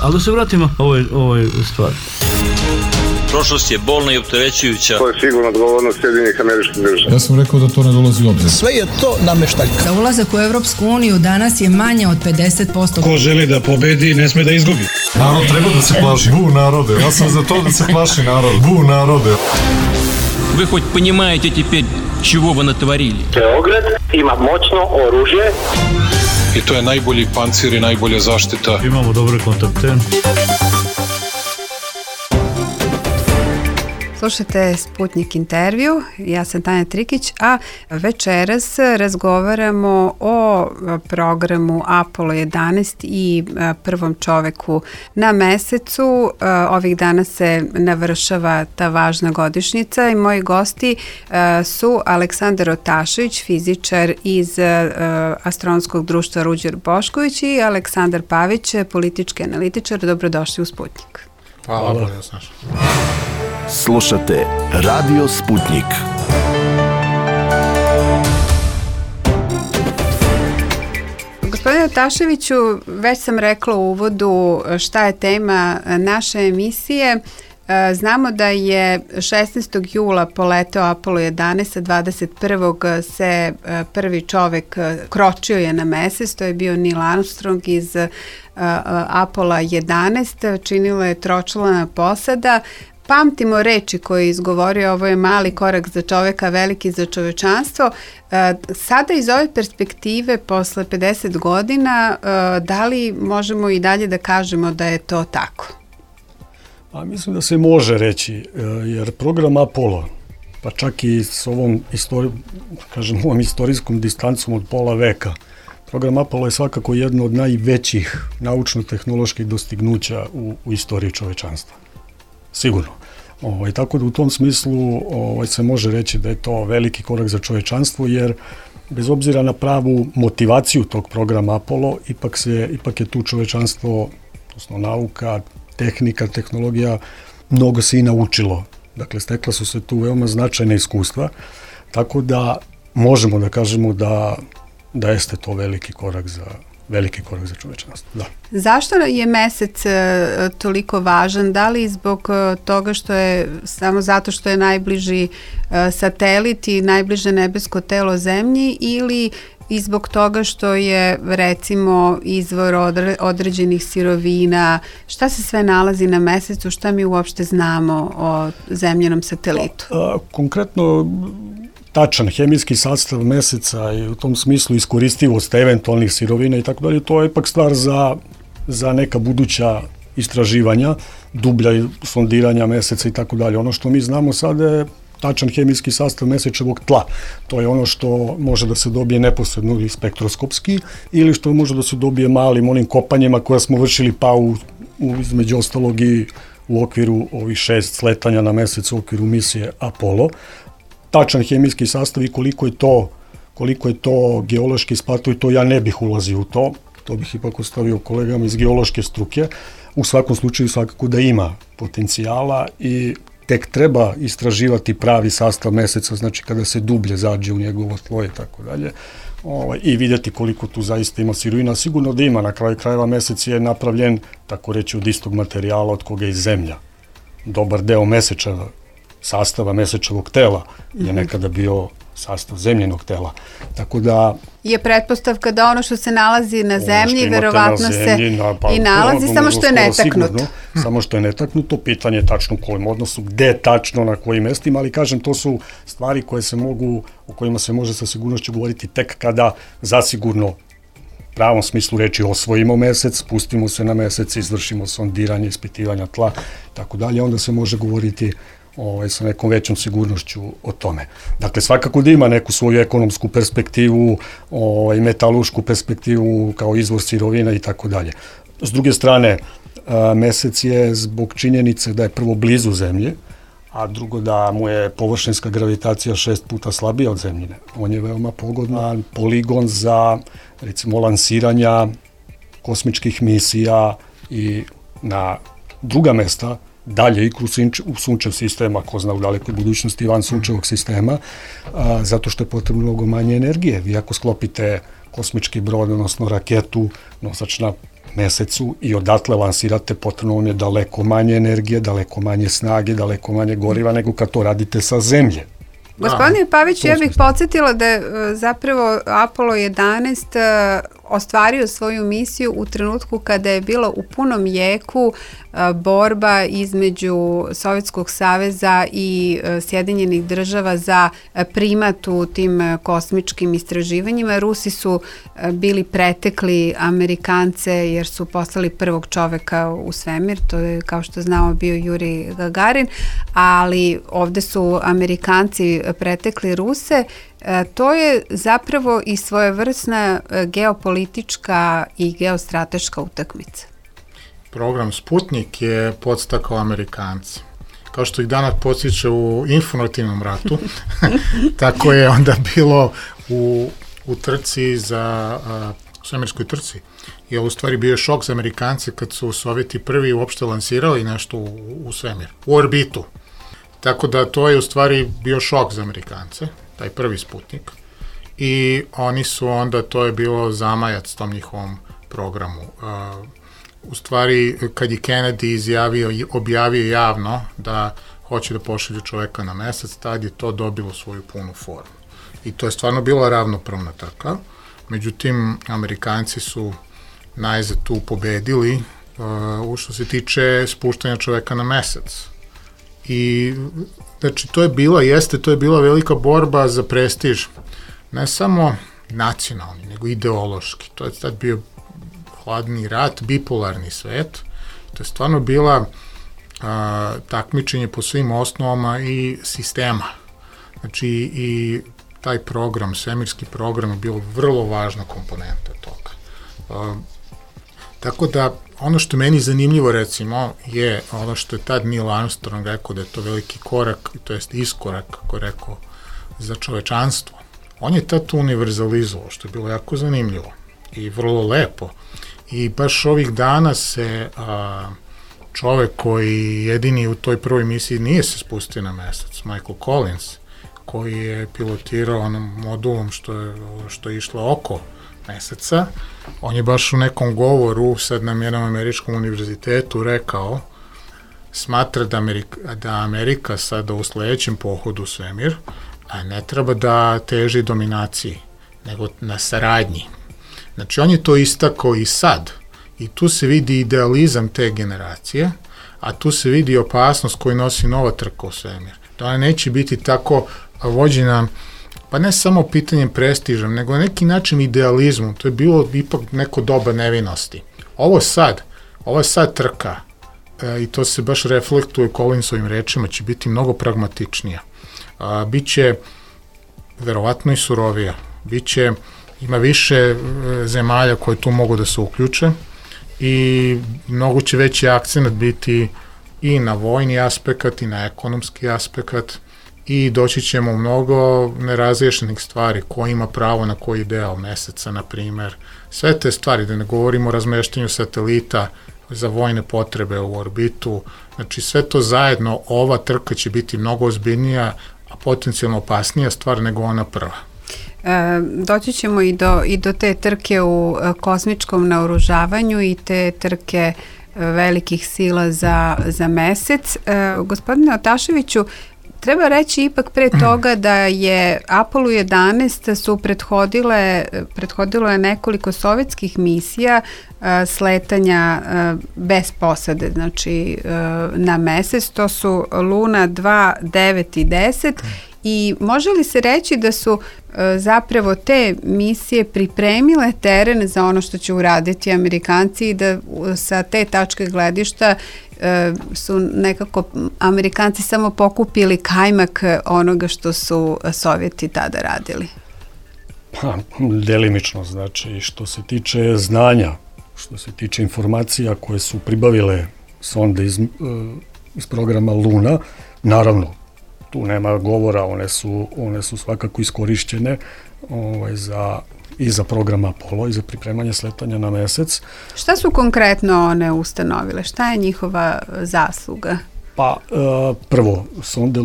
Ali da se vratimo ovoj stvari. Prošlost je bolna i opterećujuća. To je sigurno odgovornost Sjedinjenih Američkih Država. Ja sam rekao da to ne dolazi u obzir. Sve je to nameštaljka. Za ulazak u Evropsku uniju danas je manje od 50%. Ko želi da pobedi, ne sme da izgubi. Narod treba da se plaši. Bu narode. Ja sam za to da se plaši narod. Bu narode. Вы хоть понимаете теперь, чего вы натворили? Beograd ima moćno oružje. I to je najbolji pancir i najbolja zaštita. Imamo dobre kontakte. Slušajte Sputnik intervju, ja sam Tanja Trikić, a večeras razgovaramo o programu Apollo 11 i prvom čoveku na mesecu. Ovih dana se navršava ta važna godišnjica i moji gosti su Aleksandar Otašević, fizičar iz Astronomskog društva Ruđer Bošković i Aleksandar Pavić, politički analitičar. Dobrodošli u Sputnik. Hvala. Slušate Radio Sputnik. Gospodine Otaševiću, već sam rekla u uvodu šta je tema naše emisije. Znamo da je 16. jula poleteo Apollo 11, a 21. se prvi čovek kročio je na mesec, to je bio Neil Armstrong iz Apollo 11, činila je tročlana posada. Pamtimo reči koje je izgovorio, ovo je mali korak za čoveka, veliki za čovečanstvo. Sada iz ove perspektive, posle 50 godina, da li možemo i dalje da kažemo da je to tako? A mislim da se može reći, jer program Apollo, pa čak i s ovom istorijskom distancom od pola veka, program Apollo je svakako jedno od najvećih naučno-tehnoloških dostignuća u istoriji čovečanstva. Sigurno. Tako da u tom smislu se može reći da je to veliki korak za čovečanstvo, jer bez obzira na pravu motivaciju tog programa Apollo, ipak je tu čovečanstvo, odnosno nauka, tehnika, tehnologija, mnogo se i naučilo. Dakle, stekla su se tu veoma značajna iskustva, tako da možemo da kažemo da jeste to veliki korak za čovečanstvo. Da. Zašto je mesec toliko važan? Da li zbog toga što je, samo zato što je najbliži satelit i najbliže nebesko telo Zemlji, ili i zbog toga što je, recimo, izvor određenih sirovina? Šta se sve nalazi na mesecu? Šta mi uopšte znamo o zemljenom satelitu? Konkretno, tačan hemijski sastav meseca i u tom smislu iskoristivost eventualnih sirovina i tako dalje, to je ipak stvar za neka buduća istraživanja, dublja sondiranja meseca i tako dalje. Ono što mi znamo sada je tačan hemijski sastav mesečevog tla. To je ono što može da se dobije neposredno ili spektroskopski, ili što može da se dobije malim onim kopanjima koja smo vršili između ostalog i u okviru ovih 6 sletanja na mesec u okviru misije Apollo. Tačan hemijski sastav i koliko je to geološki isplativo, i to ja ne bih ulazio u to bih ipak ostavio kolegama iz geološke struke. U svakom slučaju svakako da ima potencijala i tek treba istraživati pravi sastav meseca, znači kada se dublje zađe u njegovo tlo i tako dalje, i vidjeti koliko tu zaista ima sirovina. Sigurno da ima, na kraju krajeva mesec je napravljen, tako reći, od istog materijala od koga je Zemlja. Dobar deo sastava mesečevog tela je nekada bio sastav zemljenog tela. Tako da je pretpostavka da ono što se nalazi na Zemlji verovatno se i nalazi, samo što je netaknuto. Samo što je netaknuto, pitanje je tačno u kojem odnosu, gde tačno, na kojim mestima, ali kažem, to su stvari o kojima se može sa sigurnošću govoriti tek kada zasigurno pravom smislu reči osvojimo mesec, spustimo se na mesec, izvršimo sondiranje, ispitivanja tla, tako dalje, onda se može govoriti sa nekom većom sigurnošću o tome. Dakle, svakako da ima neku svoju ekonomsku perspektivu, metalušku perspektivu kao izvor sirovina i tako dalje. S druge strane, mesec je zbog činjenice da je prvo blizu Zemlje, a drugo da mu je površinska gravitacija 6 puta slabija od Zemljine. On je veoma pogodan poligon za, recimo, lansiranja kosmičkih misija i na druga mesta, dalje i u sunčev sistema, ko zna u dalekoj budućnosti van sunčevog sistema, zato što je potrebno mnogo manje energije. Vi ako sklopite kosmički brod, odnosno raketu, nosač na mesecu i odatle lansirate, potrebno vam je daleko manje energije, daleko manje snage, daleko manje goriva nego kad to radite sa zemlje. Gospodine Paviću, ja bih podsjetila da je zapravo Apollo 11 ostvario svoju misiju u trenutku kada je bila u punom jeku borba između Sovjetskog saveza i Sjedinjenih država za primat u tim kosmičkim istraživanjima. Rusi su bili pretekli Amerikance jer su poslali prvog čoveka u svemir, to je kao što znamo bio Jurij Gagarin, ali ovde su Amerikanci pretekli Ruse. To je zapravo i svojevrsna geopolitička i geostrateška utakmica. Program Sputnik je podstakao Amerikanci. Kao što ih danas podsjeća u informativnom ratu, tako je onda bilo u trci u svemirskoj trci. Jer u stvari bio šok za Amerikance kad su Sovjeti prvi uopšte lansirali nešto u svemir, u orbitu. Tako da to je u stvari bio šok za Amerikance, taj prvi Sputnik. I oni su onda, to je bilo zamajac tom njihovom programu. U stvari, kad je Kennedy objavio javno da hoće da pošalje čoveka na mesec, tad je to dobilo svoju punu formu. I to je stvarno bila ravnopravna trka. Međutim, Amerikanci su najzad tu pobedili što se tiče spuštanja čoveka na mesec. I, znači, to je bila velika borba za prestiž, ne samo nacionalni, nego ideološki. To je tad bio hladni rat, bipolarni svet. To je stvarno bila takmičenje po svim osnovama i sistema. Znači, i taj program, svemirski program je bio vrlo važna komponenta toga. Tako da, ono što meni zanimljivo, recimo, je ono što je tad Neil Armstrong rekao da je to veliki korak, to jest iskorak, kako je rekao, za čovečanstvo. On je tad to univerzalizovao, što je bilo jako zanimljivo i vrlo lepo. I baš ovih dana se čovek koji jedini u toj prvoj misiji nije se spustio na mesec, Michael Collins, koji je pilotirao onom modulom što je išlo oko meseca, on je baš u nekom govoru sad na jednom američkom univerzitetu rekao, smatra da Amerika sada u sledećem pohodu u svemir ne treba da teži dominaciji, nego na saradnji. Znači, on je to istakao i sad. I tu se vidi idealizam te generacije, a tu se vidi opasnost koju nosi nova trka u svemir. Da ona neće biti tako vođena, pa ne samo pitanjem prestiža, nego na neki način idealizmom. To je bilo ipak neko doba nevinosti. Ovo je sad trka, i to se baš reflektuje Collinsovim rečima, će biti mnogo pragmatičnija. Biće verovatno i surovija. Ima više zemalja koje tu mogu da se uključe i mnogo će veći akcent biti i na vojni aspekt i na ekonomski aspekt i doći ćemo mnogo nerazriješenih stvari, ko ima pravo na koji deo meseca, na primer. Sve te stvari, da ne govorimo o razmeštanju satelita za vojne potrebe u orbitu, znači sve to zajedno, ova trka će biti mnogo ozbiljnija, a potencijalno opasnija stvar nego ona prva. Doći ćemo i do te trke u kosmičkom naoružavanju i te trke velikih sila za mesec. Gospodine Otaševiću, treba reći ipak pre toga da je Apollo 11 su prethodilo je nekoliko sovjetskih misija sletanja bez posade, znači na mesec. To su Luna 2, 9 i 10. I može li se reći da su zapravo te misije pripremile teren za ono što će uraditi Amerikanci i da sa te tačke gledišta su nekako Amerikanci samo pokupili kajmak onoga što su Sovjeti tada radili? Pa, delimično, znači, što se tiče znanja, što se tiče informacija koje su pribavile sonde iz programa Luna, naravno, tu nema govora, one su svakako iskorišćene i za program Apollo i za pripremanje sletanja na mesec. Šta su konkretno one ustanovile? Šta je njihova zasluga? Pa, prvo, sonda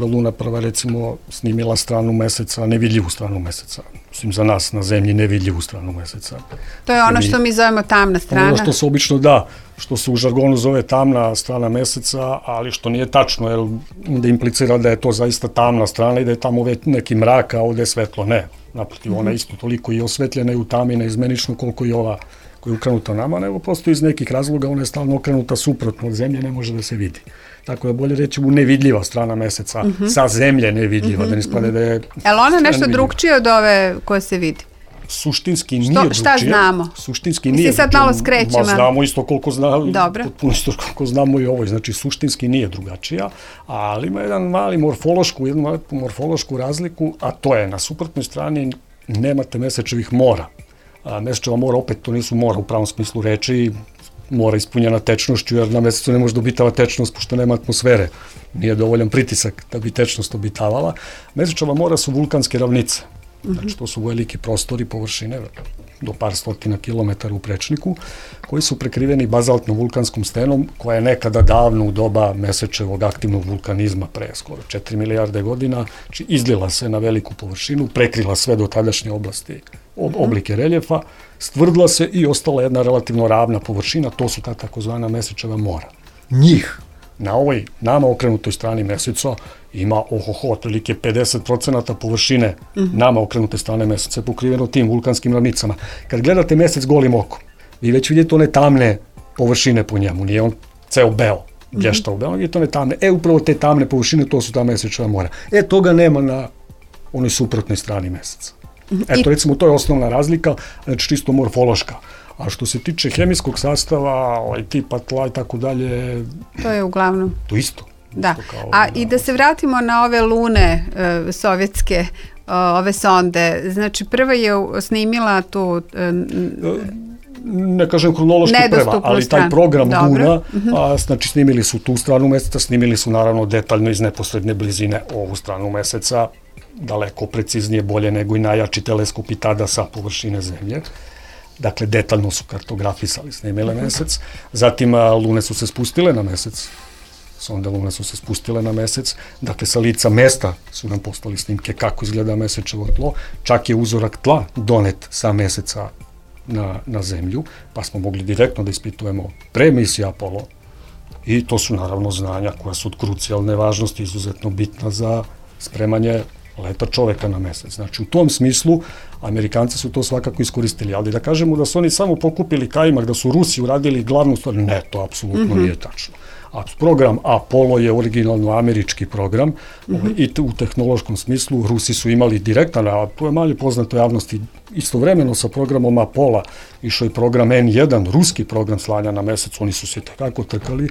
Luna prva recimo snimila stranu meseca, nevidljivu stranu meseca. za nas na zemlji nevidljivu stranu meseca. To je ono što mi zovemo tamna strana. Ono što se obično što se u žargonu zove tamna strana meseca, ali što nije tačno, jer da implicira da je to zaista tamna strana i da je tamo neki mrak, a ovde je svetlo. Ne, naprotiv, ona je isto toliko i osvetljena i u tami neizmenično koliko i ova koja je okrenuta nama, nego prosto iz nekih razloga ona je stalno okrenuta suprotno od zemlje, ne može da se vidi. Tako da bolje reći mu nevidljiva strana meseca, sa zemlje nevidljiva, da ne spade da je... Je li ona nešto drugčije od ove koje se vidi? Suštinski nije drugčije. Šta znamo? Suštinski nije drugčije. Sad malo skrećemo. Znamo isto koliko znamo, Dobro. potpuno isto koliko znamo i ovoj, znači suštinski nije drugačija, ali ima jednu morfološku razliku, a to je na suprotnoj strani nemate mesečevih mora. Mesečeva mora, opet to nisu mora u pravom smislu reči, mora ispunjena tečnošću, jer na mesecu ne može da obitava tečnost, pošto nema atmosfere. Nije dovoljan pritisak da bi tečnost obitavala. Mesečeva mora su vulkanske ravnice. Znači, to su veliki prostori, površine, do par stotina kilometara u prečniku, koji su prekriveni bazaltnom vulkanskom stenom, koja je nekada davno u doba mesečevog aktivnog vulkanizma, pre skoro 4 milijarde godina, znači izlila se na veliku površinu, prekrila sve do tadašnje oblasti, oblike reljefa, stvrdla se i ostala jedna relativno ravna površina, to su ta takozvana mesečeva mora. Njih na ovoj nama okrenutoj strani meseca ima otprilike 50% površine nama okrenute strane meseca pokriveno tim vulkanskim ravnicama. Kad gledate mesec golim okom, vi već vidite one tamne površine po njemu, nije on ceo beo, blješta u beo, vidite one tamne. Upravo te tamne površine, to su ta mesečeva mora. toga nema na onoj suprotnoj strani meseca. Recimo, to je osnovna razlika, znači čisto morfološka. A što se tiče hemijskog sastava, tipa tla i tako dalje... To je uglavnom. To isto. Da. I da se vratimo na ove lune sovjetske, ove sonde. Znači, prva je snimila tu... Ne kažem hronološki prva, ali taj program Luna, znači snimili su tu stranu meseca, snimili su naravno detaljno iz neposredne blizine ovu stranu meseca, daleko preciznije, bolje nego i najjači teleskopi tada sa površine Zemlje. Dakle, detaljno su kartografisali, snimile mesec. Zatim, lune su se spustile na mesec. Sonde lune su se spustile na mesec. Dakle, sa lica mesta su nam postali snimke kako izgleda mesečevo tlo. Čak je uzorak tla donet sa meseca na Zemlju, pa smo mogli direktno da ispitujemo pre misije Apollo. I to su naravno znanja koja su od krucijalne važnosti, izuzetno bitna za spremanje leta čoveka na mesec. Znači, u tom smislu, Amerikanci su to svakako iskoristili, ali da kažemo da su oni samo pokupili kajmak, da su Rusi uradili glavnu stvar, ne, to apsolutno nije tačno. Program Apollo je originalno američki program i u tehnološkom smislu Rusi su imali direktan, a to je manje poznato javnosti, istovremeno sa programom Apollo išao i program N1, ruski program slanja na mesec, oni su se tako trkali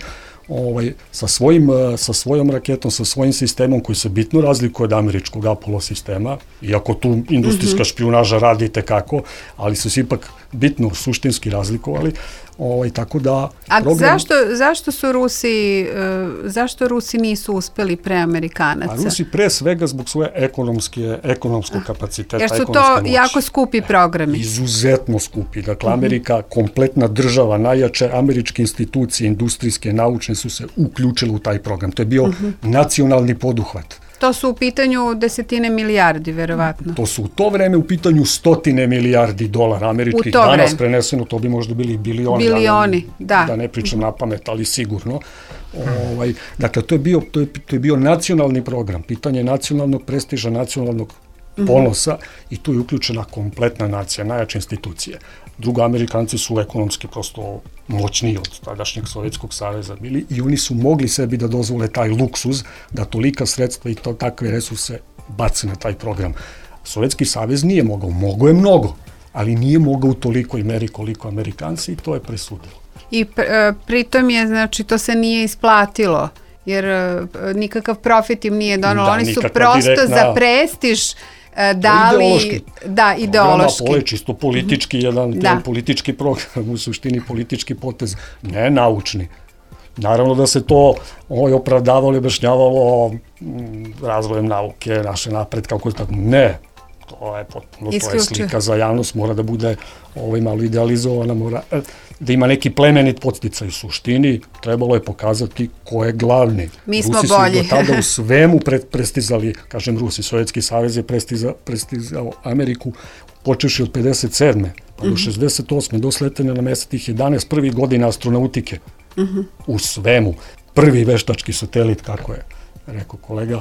sa svojom raketom, sa svojim sistemom koji se bitno razlikuje od američkog Apollo sistema, iako tu industrijska špijunaža radi tekako, ali su se ipak bitno suštinski razlikovali, tako da... A zašto Rusi nisu uspeli pre Amerikanaca? A Rusi pre svega zbog svoje ekonomskog kapaciteta. Jer su to jako skupi programi. Izuzetno skupi. Dakle, Amerika, kompletna država, najjače američke institucije, industrijske, naučne su se uključile u taj program. To je bio nacionalni poduhvat. To su u pitanju desetine milijardi, verovatno. To su u to vreme u pitanju stotine milijardi dolara američkih. Danas preneseno, to bi možda bili bilioni. Bilioni, da. Da ne pričam na pamet, ali sigurno. Dakle, to je bio nacionalni program, pitanje nacionalnog prestiža, nacionalnog ponosa i tu je uključena kompletna nacija, najjače institucije. Drugo, Amerikanci su ekonomski prosto moćniji od tadašnjeg Sovjetskog saveza bili i oni su mogli sebi da dozvole taj luksuz, da tolika sredstva i takve resurse bace na taj program. Sovjetski savez nije mogao je mnogo, ali nije mogao u tolikoj meri koliko Amerikanci i to je presudilo. I pritom je, znači, to se nije isplatilo, jer nikakav profit im nije donalo, oni su prosto za prestiž dali, ideološki. Program Apollo je čisto politički, jedan politički program, u suštini politički potez, ne naučni. Naravno da se to opravdavalo i objašnjavalo razvojem nauke, naše napred, kako je tako. Ne, To je potpuno, to je slika za javnost, mora da bude malo idealizovana, mora da ima neki plemenit podsticaj. U suštini trebalo je pokazati ko je glavni. Mi smo Rusi bolji. Rusi su do tada u svemu prestizali, kažem Rusi, Sovjetski savez je prestizao Ameriku, počeši od 57. pa do 68. do sletanja na mesec tih 11 prvih godina astronautike u svemu. Prvi veštački satelit, kako je rekao kolega,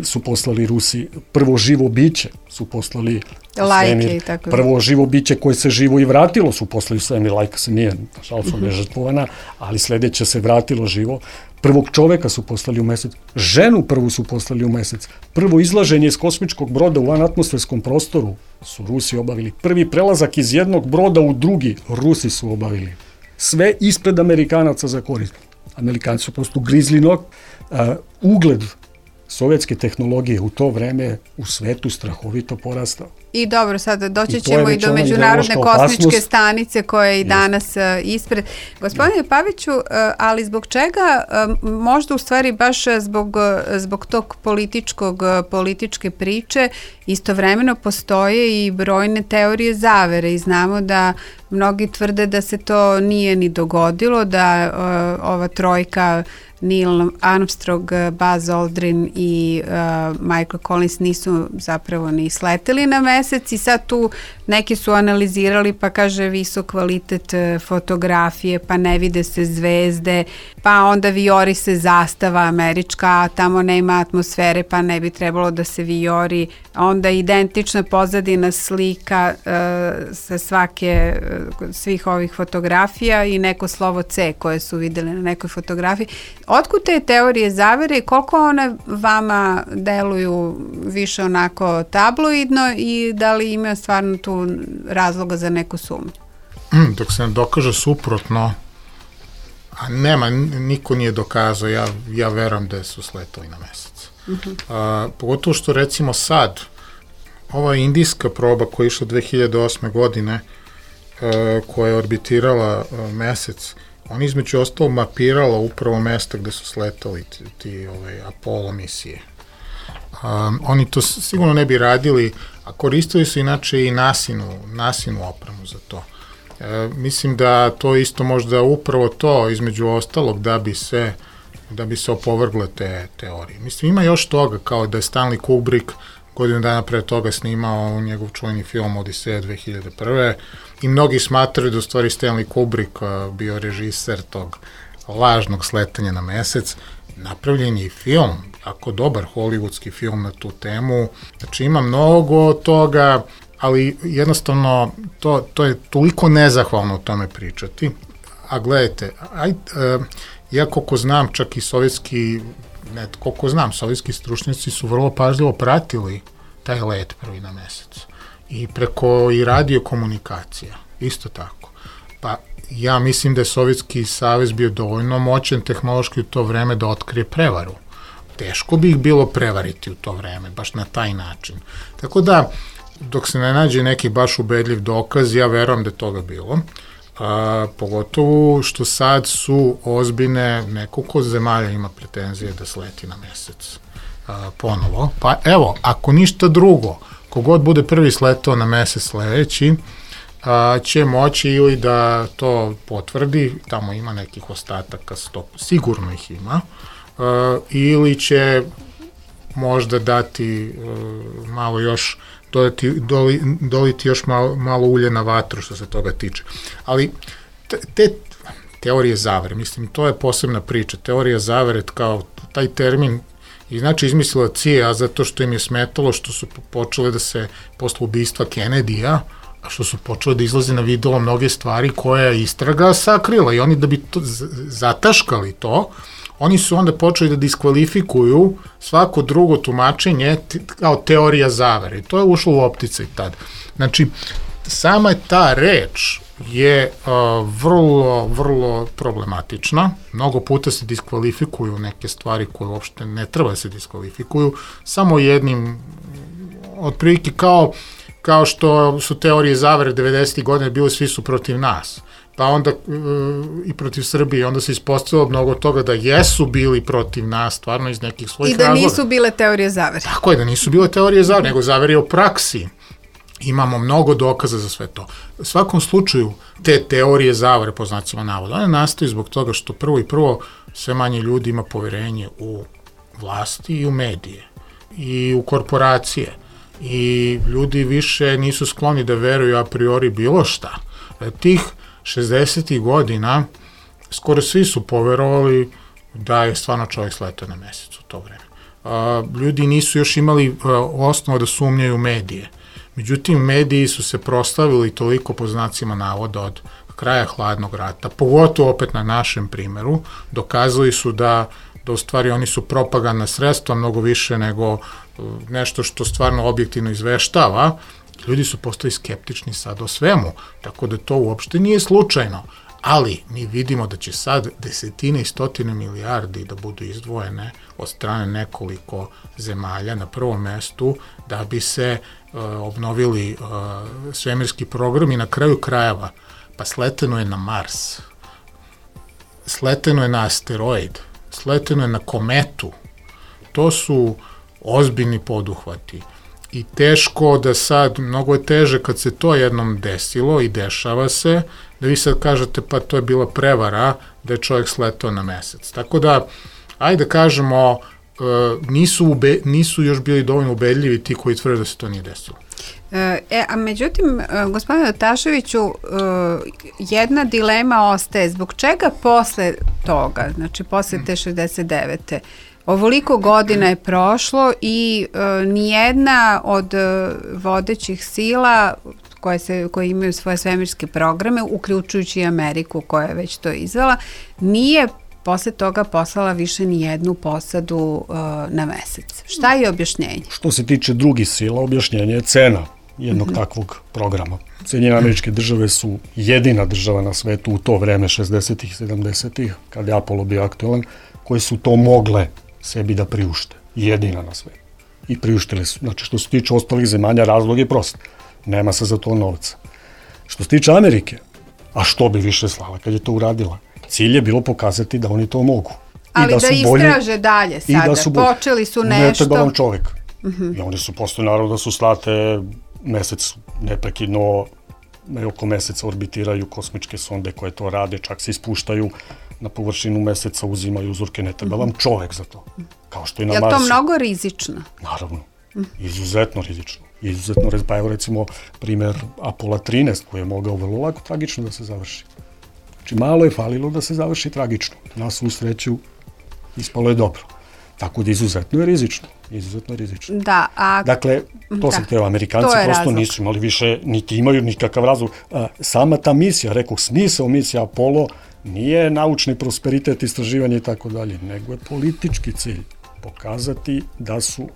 su poslali Rusi, prvo živo biće su poslali svemir, prvo živo biće koje se živo i vratilo su poslali svemir, Lajka se nije, nažalost je žrtvovana, ali sledeće se vratilo živo. Prvog čoveka su poslali u mesec, ženu prvu su poslali u mesec, prvo izlaženje iz kosmičkog broda u vanatmosferskom prostoru su Rusi obavili, prvi prelazak iz jednog broda u drugi Rusi su obavili. Sve ispred Amerikanaca za korist. Amerikanci su prosto grizli nog, ugled sovjetske tehnologije u to vreme u svetu strahovito porastao. I dobro, sad doći ćemo i do Međunarodne kosmičke stanice koja je i danas ispred. Gospodine Paviću, ali zbog čega, možda u stvari baš zbog tog političke priče, istovremeno postoje i brojne teorije zavere i znamo da mnogi tvrde da se to nije ni dogodilo, da ova trojka Neil Armstrong, Buzz Aldrin i Michael Collins nisu zapravo ni sleteli na mesec i sad tu neki su analizirali pa kaže visok kvalitet fotografije, pa ne vide se zvezde, pa onda vijori se zastava američka, a tamo nema atmosfere pa ne bi trebalo da se vijori, onda identična pozadina slika sa svih ovih fotografija i neko slovo C koje su videli na nekoj fotografiji. Otkud te teorije zavere i koliko one vama deluju više onako tabloidno i da li ima stvarno tu razloga za neku sumnju? Dok se ne dokaže suprotno, a nema, niko nije dokazao, ja verujem da su sletali na mesec. Pogotovo što recimo sad, ova indijska proba koja je išla 2008. godine, koja je orbitirala mesec, on između ostalo mapirala upravo mesta gde su sletali ti Apollo misije. Oni to sigurno ne bi radili, a koristili su inače i nasinu opremu za to. Mislim da to isto možda upravo to između ostalog da bi se opovrgle te teorije. Mislim, ima još toga, kao da je Stanley Kubrick godinu dana pre toga snimao njegov čuveni film Odiseja 2001. I mnogi smatraju da u stvari Stanley Kubrick bio režiser tog lažnog sletanja na mesec. Napravljen je i film, jako dobar hollywoodski film na tu temu. Znači ima mnogo toga, ali jednostavno to je toliko nezahvalno o tome pričati. A gledajte, ja koliko znam, čak i sovjetski stručnjaci su vrlo pažljivo pratili taj let prvi na mesec. I preko i radiokomunikacija, isto tako. Pa ja mislim da je Sovjetski savez bio dovoljno moćan tehnološki u to vreme da otkrije prevaru. Teško bi ih bilo prevariti u to vreme, baš na taj način. Tako da, dok se ne nađe neki baš ubedljiv dokaz, ja verujem da je toga bilo. Pogotovo što sad su ozbiljne, nekoliko zemalja ima pretenzije da sleti na mesec ponovo. Pa evo, ako ništa drugo, kogod bude prvi sletao na mesec sledeći, će moći ili da to potvrdi, tamo ima nekih ostataka, sigurno ih ima, ili će možda dati malo još, doliti još malo ulje na vatru što se toga tiče. Ali te teorije zavere, mislim, to je posebna priča. Teorija zavere, kao taj termin, i znači izmislila CIA zato što im je smetalo što su počele da se, posle ubistva Kennedyja, što su počele da izlaze na video mnoge stvari koje je istraga sakrila i oni da bi zataškali to, oni su onda počeli da diskvalifikuju svako drugo tumačenje kao teorija zavere. I to je ušlo u opticaj tad. Znači, sama ta reč je vrlo, vrlo problematična. Mnogo puta se diskvalifikuju neke stvari koje uopšte ne treba da se diskvalifikuju. Samo jednim, otprilike kao što su teorije zavere 90. godine bile, svi su protiv nas, pa onda i protiv Srbije, onda se ispostavilo mnogo toga da jesu bili protiv nas, stvarno iz nekih svojih razloga. I da nisu bile teorije zavere. Tako je, da nisu bile teorije zavere, nego zavere u praksi. Imamo mnogo dokaza za sve to. U svakom slučaju, te teorije zavere, po znacima navoda, one nastaju zbog toga što prvo sve manje ljudi ima poverenje u vlasti i u medije i u korporacije. I ljudi više nisu skloni da veruju a priori bilo šta. Tih 60. godina skoro svi su poverovali da je stvarno čovjek sletao na mesec u to vreme. Ljudi nisu još imali osnova da sumnjaju u medije. Međutim, mediji su se proslavili toliko po znacima navoda od kraja hladnog rata, pogotovo opet na našem primeru, dokazali su da u stvari oni su propagandna sredstva mnogo više nego nešto što stvarno objektivno izveštava. Ljudi su postali skeptični sad o svemu, tako da to uopšte nije slučajno. Ali mi vidimo da će sad desetine i stotine milijardi da budu izdvojene od strane nekoliko zemalja na prvom mestu da bi se obnovili svemirski program i na kraju krajeva. Pa sleteno je na Mars, sleteno je na asteroid, sleteno je na kometu. To su ozbiljni poduhvati. I teško da sad, mnogo je teže kad se to jednom desilo i dešava se, da vi sad kažete pa to je bila prevara da je čovjek sletao na mesec. Tako da, ajde da kažemo, nisu još bili dovoljno ubedljivi ti koji tvrde da se to nije desilo. A međutim, gospodine Taševiću, jedna dilema ostaje. Zbog čega posle toga, znači posle te 69. Ovoliko godina je prošlo i nijedna od vodećih sila koje imaju svoje svemirske programe, uključujući i Ameriku koja je već to izvela, nije posle toga poslala više ni jednu posadu na mesec. Šta je objašnjenje? Što se tiče drugih sila, objašnjenje je cena jednog takvog programa. Sjedinjene Američke Države su jedina država na svetu u to vreme, 60-ih, 70-ih, kada je Apollo bio aktualan, koje su to mogle sebi da priušte. Jedina na svetu. I priuštili su. Znači, što se tiče ostalih zemalja, razlog je prost. Nema se za to novca. Što se tiče Amerike, a što bi više slala kad je to uradila? Cilj je bilo pokazati da oni to mogu. Ali da istraže dalje sada. Počeli su nešto. Ne treba vam čovjek. I oni su postoji, naravno, da su slate mesec neprekidno, oko meseca orbitiraju kosmičke sonde koje to rade, čak se ispuštaju na površinu meseca, uzimaju uzorke, ne treba vam čovek za to. Kao što i na Marsu. Je to mnogo rizično? Naravno. Izuzetno rizično. Pa evo recimo primjer Apollo 13 koji je mogao vrlo lako tragično da se završi. Znači malo je falilo da se završi tragično. Na svu sreću ispalo je dobro. Tako da izuzetno je rizično. Da, dakle, to sam hteo, Amerikanci prosto nisu imali više, niti imaju nikakav razlog. Sama ta misija, rekao, smisao misija Apollo nije naučni prosperitet, istraživanje i tako dalje, nego je politički cilj pokazati da su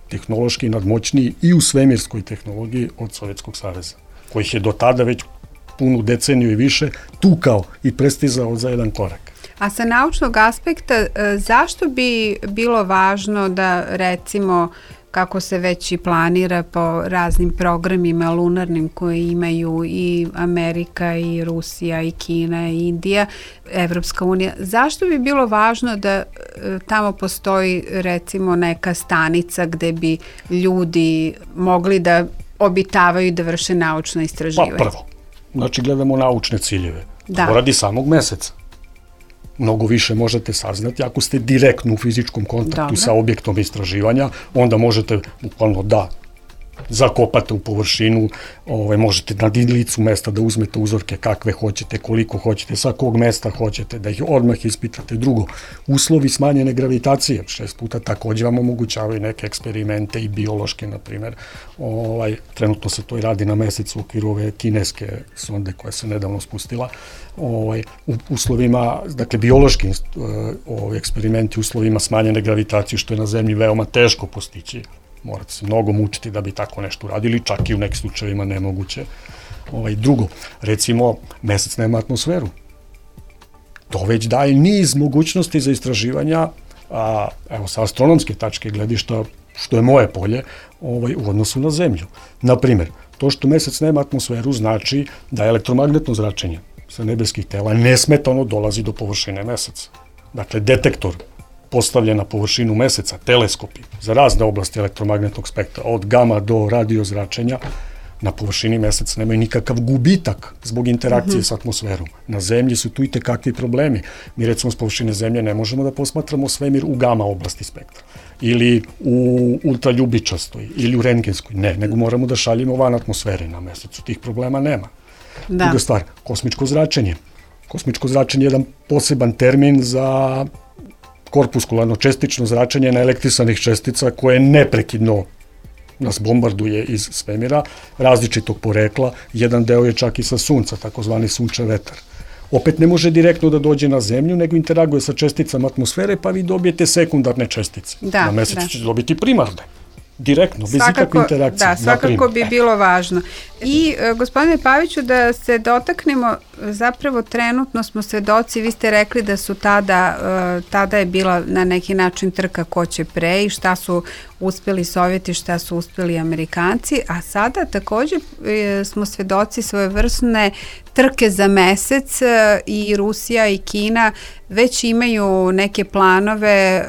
tehnološki nadmoćniji i u svemirskoj tehnologiji od Sovjetskog saveza, kojih je do tada već punu deceniju i više tukao i prestizao za jedan korak. A sa naučnog aspekta, zašto bi bilo važno da, recimo, kako se već i planira po raznim programima lunarnim koje imaju i Amerika i Rusija i Kina i Indija, Evropska unija, zašto bi bilo važno da tamo postoji, recimo, neka stanica gde bi ljudi mogli da obitavaju i da vrše naučno istraživanje? Pa prvo, znači gledamo naučne ciljeve. To radi samog meseca. Mnogo više možete saznati ako ste direktno u fizičkom kontaktu sa objektom istraživanja, onda možete bukvalno da zakopate u površinu, možete na licu mesta da uzmete uzorke kakve hoćete, koliko hoćete, sa kog mesta hoćete, da ih odmah ispitate. Drugo, uslovi smanjene gravitacije, 6 puta takođe vam omogućavaju neke eksperimente i biološke, na primjer. Trenutno se to i radi na mesecu u okviru ove kineske sonde koja se nedavno spustila. U uslovima, dakle, biološki eksperimenti u uslovima smanjene gravitacije, što je na zemlji veoma teško postići. Morate se mnogo mučiti da bi tako nešto uradili, čak i u nekim slučajevima nemoguće. Drugo, recimo, mesec nema atmosferu. To već daje niz mogućnosti za istraživanja, evo, sa astronomske tačke gledišta, što je moje polje, u odnosu na zemlju. Naprimjer, To što mesec nema atmosferu znači da elektromagnetno zračenje sa nebeskih tela nesmetano dolazi do površine meseca. Dakle, detektor postavljen na površinu meseca, teleskopi za razne oblasti elektromagnetnog spektra, od gama do radio zračenja, na površini meseca nemaju nikakav gubitak zbog interakcije s atmosferom. Na zemlji su tu i tekakvi problemi. Mi recimo s površine zemlje ne možemo da posmatramo svemir u gama oblasti spektra ili u ultraljubičastoj ili u rentgenskoj. Ne, nego moramo da šaljemo van atmosfere na mesecu. Tih problema nema. Druga stvar, kosmičko zračenje. Kosmičko zračenje je jedan poseban termin za korpuskularno čestično zračenje naelektrisanih čestica koje neprekidno nas bombarduje iz svemira, različitog porekla, jedan deo je čak i sa sunca, takozvani sunčev vetar. Opet ne može direktno da dođe na zemlju, nego interaguje sa česticama atmosfere, pa vi dobijete sekundarne čestice. Na mesecu ćete dobiti primarne. Direktno, bez ikakve interakcije. Da, svakako bi bilo važno. I, gospodine Paviću, da se dotaknemo, zapravo trenutno smo svedoci, vi ste rekli da su tada je bila na neki način trka ko će pre i šta su uspeli Sovjeti, šta su uspeli Amerikanci, a sada takođe smo svedoci svojevrsne trke za mesec i Rusija i Kina već imaju neke planove,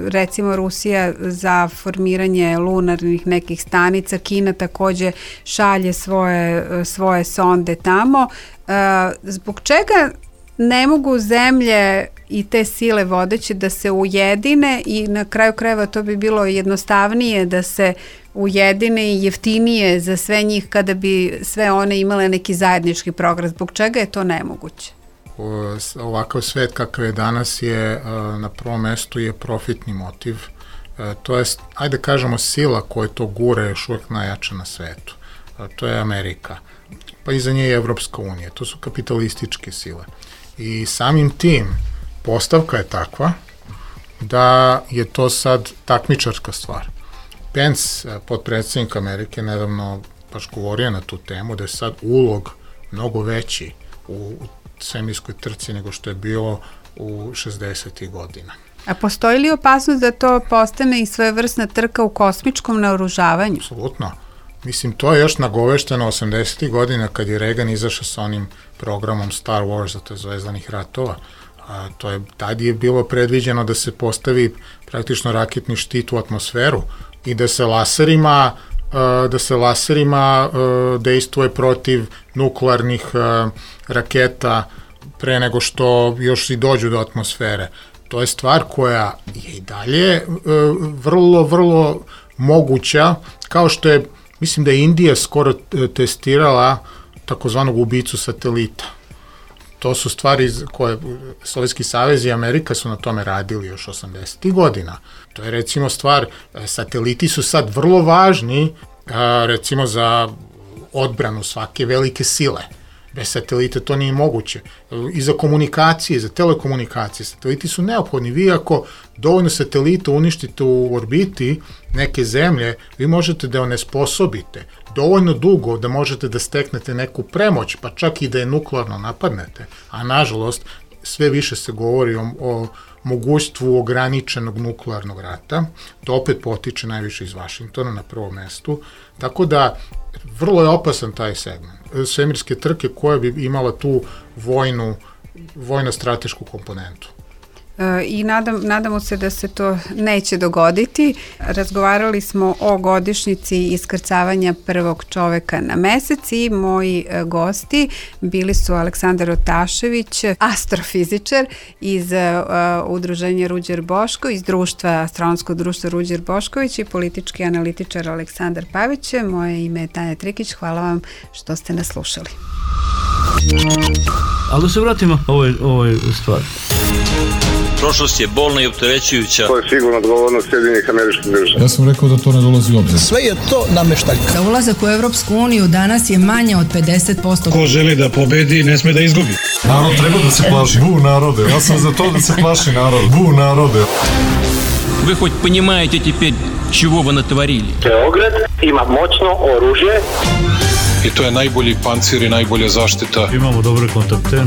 recimo Rusija za formiranje lunarnih nekih stanica, Kina takođe šalje svoje sonde tamo. Zbog čega ne mogu zemlje i te sile vodeće da se ujedine i na kraju krajeva to bi bilo jednostavnije da se ujedine i jeftinije za sve njih kada bi sve one imale neki zajednički program. Zbog čega je to nemoguće? Ovakav svet kakav je danas je na prvom mestu je profitni motiv. To je, ajde kažemo, sila koja to gura još uvijek najjača na svetu. To je Amerika. Pa iza nje je Evropska unija. To su kapitalističke sile. I samim tim postavka je takva da je to sad takmičarska stvar. Pence, potpredsjednik Amerike, nedavno baš govorio na tu temu da je sad ulog mnogo veći u svemirskoj trci nego što je bilo u 60. godina. A postoji li opasnost da to postane i svojevrsna trka u kosmičkom naoružavanju? Apsolutno. Mislim, to je još nagovešteno 80. godina kad je Reagan izašao sa onim programom Star Wars, to je Zvezdanih ratova. Tad je bilo predviđeno da se postavi praktično raketni štit u atmosferu i da se laserima dejstvuje protiv nuklearnih raketa pre nego što još i dođu do atmosfere. To je stvar koja je i dalje vrlo, vrlo moguća, kao što je, mislim da je Indija skoro testirala takozvanog ubicu satelita. To su stvari koje Sovjetski savez i Amerika su na tome radili još 80. godina. To je recimo stvar, sateliti su sad vrlo važni recimo za odbranu svake velike sile. Bez satelita to nije moguće. I za komunikacije, za telekomunikacije, sateliti su neophodni. Vi ako dovoljno satelita uništite u orbiti neke zemlje, vi možete da onesposobite dovoljno dugo da možete da steknete neku premoć, pa čak i da je nuklearno napadnete. A nažalost, sve više se govori o mogućstvu ograničenog nuklearnog rata. To opet potiče najviše iz Vašingtona na prvom mestu. Tako da, vrlo je opasan taj segment svemirske trke koja bi imala tu vojno-stratešku komponentu. I nadamo se da se to neće dogoditi. Razgovarali smo o godišnjici iskrcavanja prvog čoveka na mesec i moji gosti bili su Aleksandar Otašević, astrofizičar iz udruženja Ruđer Boško, iz astronomskog društva Ruđer Bošković i politički analitičar Aleksandar Pavić. Moje ime je Tanja Trikić. Hvala vam što ste nas slušali. Ali da se vratimo ovoj stvari. Prošlost je bolna i opterećujuća. To je sigurno odgovornost Sjedinjenih Američkih Država. Ja sam rekao da to ne dolazi u obzir. Sve je to nameštaljka. Za ulazak u Evropsku uniju danas je manje od 50%. Ko želi da pobedi, ne sme da izgubi. Narod treba da se plaši. Bu narode. Ja sam za to da se plaši narod. Bu narode. Вы хоть понимаете теперь, чего вы натворили? Beograd ima moćno oružje. I to je najbolji pancir i najbolja zaštita. Imamo dobre kontakte.